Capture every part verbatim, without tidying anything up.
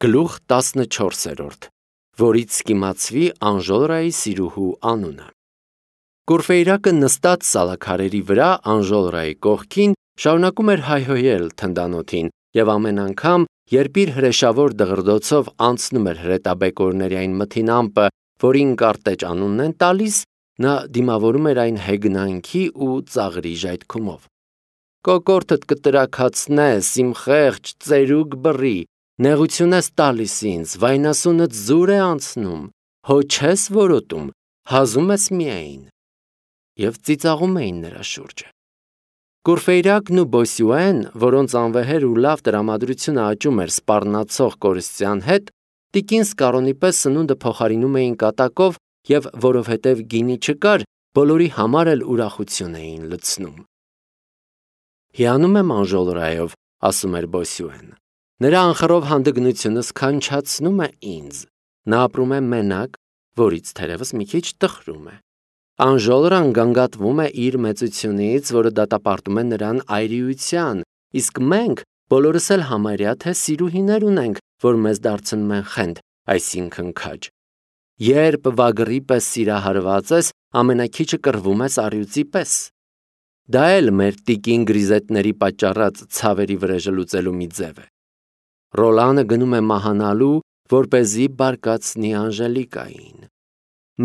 Գլուխ տասնչորսերորդ, որից կիմացվի Անժոլրայի սիրուհու անունը։ Կուրֆեյրակը նստած սալաքարերի վրա Անժոլրայի կողքին շարունակում էր հայհոյել թնդանոթին և ամեն անգամ, երբ իր հրեշավոր դղրդոցով անցնում էր հրետաբեկորների այն մթին ամպը, որին կարտեճ անունն են տալիս, նա դիմավորում էր այն հեգնանքի ու ծաղրի ժայթքումով։ Կոկորդդ կտրաքացնես, իմ խեղճ ծերուկ բռի, նեղություն ես տալիս ինձ, վայնասունդ զուր է անցնում, հո չես որոտում, հազում ես միայն։ Եվ ծիծաղում էին նրա շուրջը։ Կուրֆեյրակն ու Բոսյուեն, որոնց անվեհեր ու լավ տրամադրությունը աճում էր սպառնացող կորստյան հետ, տիկին Սկարոնի պես սնունդը փոխարինում էին կատակով և որովհետև գինի չկար, բոլորի համար էլ ուրախություն էին լցնում։ Հիանում եմ Անժոլրայով, ասում էր Բոսյուեն։ Նրա անխռով հանդգնությունը սքանչացնում է ինձ։ Նա ապրում է մենակ, որից թերևս մի քիչ տխրում է։ Անժոլրան գանգատվում է իր մեծությունից, որը դատապարտում է նրան այրիության, իսկ մենք բոլորս էլ համարյա թե սիրուհիներ ունենք, որ մեզ դարձնում են խենթ, այսինքն քաջ։ Երբ վագրի պես սիրահարված ես, ամենաքիչը կռվում ես առյուծի պես։ Դա էլ մեր տիկին գրիզետների պատճառած ցավերի վրեժը լուծելու մի ձև է։ Ռոլանը գնում է մահանալու, որպեսզի բարկացնի Անժելիկային։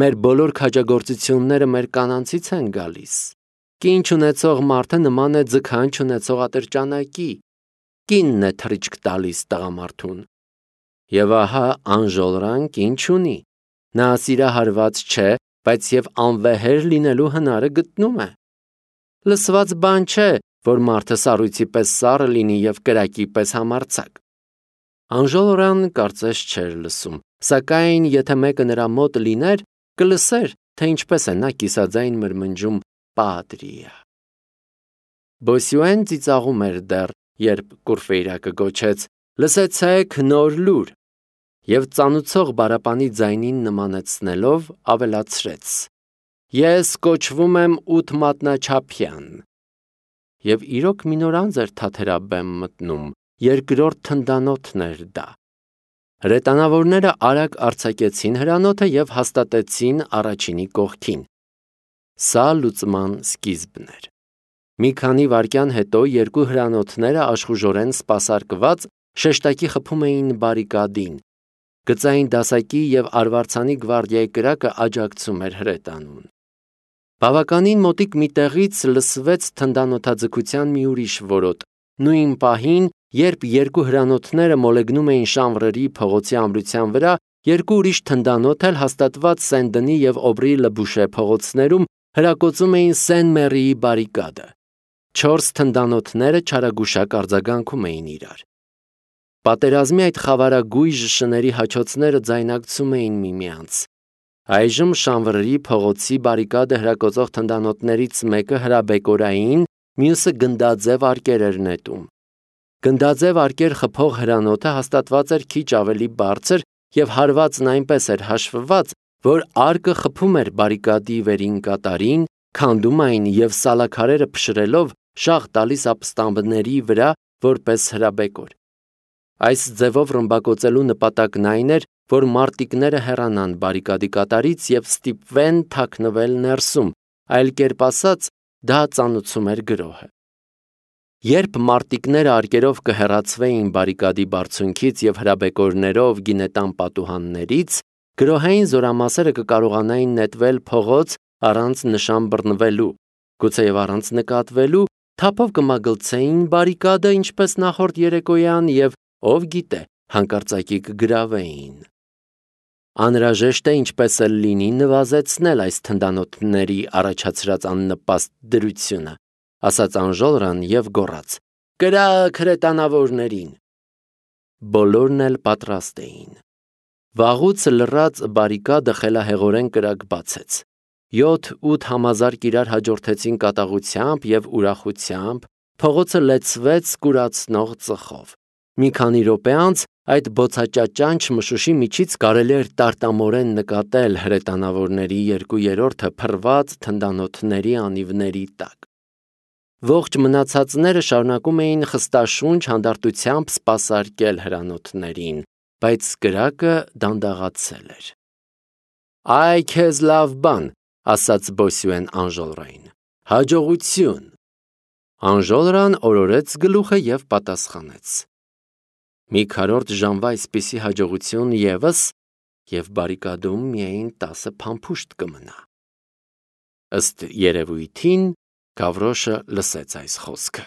Մեր բոլոր քաջագործությունները մեր կանանցից են գալիս։ Կին չունեցող մարդը նման է ձգան չունեցող ատրճանակի։ Կինն է թռիչք տալիս տղամարդուն։ Եվ ահա Անժոլրան կին չունի։ Նա սիրահարված չէ, բայց և անվեհեր լինելու հնարը գտնում է։ Լսված բան չէ, որ մարդը սառույցի պես սառը լինի և կրակի պես համարձակ։ Անժոլրան կարծես չէր լսում, սակայն եթե մեկը նրա մոտ լիներ, կլսեր, թե ինչպես է նա կիսաձայն մրմնջում «Պատրիա»։ Բոսյուեն ծիծաղում էր դեռ, երբ Կուրֆեյրակը գոչեց. «Լսեցեք նոր լուր» և ծանուցող բարապանի ձայնին նմանեցնելով ավելացրեց. «Ես կոչվում եմ ութ մատնաչափյան»։ Եվ իրոք մի նոր անձ էր թաթերաբեմ մտնում, երկրորդ թնդանոթն էր դա։ Հրետանավորները արագ արձակեցին հրանոթը և հաստատեցին առաջինի կողքին։ Սա լուծման սկիզբն էր։ Մի քանի վայրկյան հետո երկու հրանոթները աշխուժորեն սպասարկված շեշտակի խփում էին բարիկադին։ Գծային դասակի և արվարձանի գվարդիայի կրակը աջակցում էր հրետանուն։ Բավականին մոտիկ մի տեղից լսվեց թնդանոթաձգության մի ուրիշ որոտ, նույն պահին, երբ երկու հրանոթները մոլեգնում էին Շանվրերի փողոցի ամրության վրա, երկու ուրիշ թնդանոթ էլ հաստատված Սեն-Դնի և Օբրի Լը փողոցներում հրակոծում էին Սեն-Մեռիի բարիկադը։ Չորս թնդանոթները չարագուշակ արձագանքում էին իրար։ Պատերազմի այդ խավարագույժ շների հաչոցները ձայնարկցում էին միմյանց։ Այժմ Շանվրերի փողոցի բարիկադը հրակոծող թնդանոթներից մեկը հրաբեկորային, մյուսը գնդաձև արկեր էր նետում։ Գնդաձև արկեր խփող հրանոթը հաստատված էր քիչ ավելի բարձր և հարվածն այնպես էր հաշվված, որ արկը խփում էր բարիկադի վերին կատարին, քանդում այն և սալաքարերը փշրելով շաղ տալիս ապստամբների վրա որպես հրաբեկոր։ Այս ձևով ռմբակոծելու նպատակն այն էր, որ մարտիկները հեռանան բարիկադի կատարից և ստիպվեն թաքնվել ներսում, այլ կերպ ասած, դա ծանուցում էր գրոհը։ Երբ մարտիկները արկերով կհեռացվեին բարիկադի բարձունքից և հրաբեկորներով գինետան պատուհաններից, գրոհային զորամասերը կկարողանային նետվել փողոց առանց նշան բռնվելու, գուցեև առանց նկատվելու, թափով կմագլցեին բարիկադը ինչպես նախորդ երեկոյան և, ով գիտե, հանկարծակի կգրավեին։ Անհրաժեշտ է ինչպես էլ լինի նվազեցնել այս թնդանոթների առաջացրած աննպաստ դրությունը, ասաց Անժոլրան և գոռաց. «Կրակ հրետանավորներին»։ Բոլորն էլ պատրաստ էին։ Վաղուց լռած բարիկադը խելահեղորեն կրակ բացեց։ Յոթ-ութ համազարկ իրար հաջորդեցին կատաղությամբ և ուրախությամբ, փողոցը լեցվեց կուրացնող ծխով։ Մի քանի րոպե անց այդ բոցաճաճանչ մշուշի միջից կարելի էր տարտամորեն նկատել հրետանավորների երկու երրորդը փռված թնդանոթների անիվների տակ։ Ողջ մնացածները շարունակում էին խստաշունչ հանդարտությամբ սպասարկել հրանոթներին, բայց կրակը դանդաղացել էր։ Այ քեզ լավ բան, ասաց Բոսյուեն Անժոլրային, հաջողություն։ Անժոլրան օրորեց գլուխը և պատասխանեց. Մի քառորդ ժամվա այսպիսի հաջողություն ևս և բարիկադում միայն տասը փամփուշտ կմնա։ Ըստ երևույթին Գավրոշը լսեց այս խոսքը։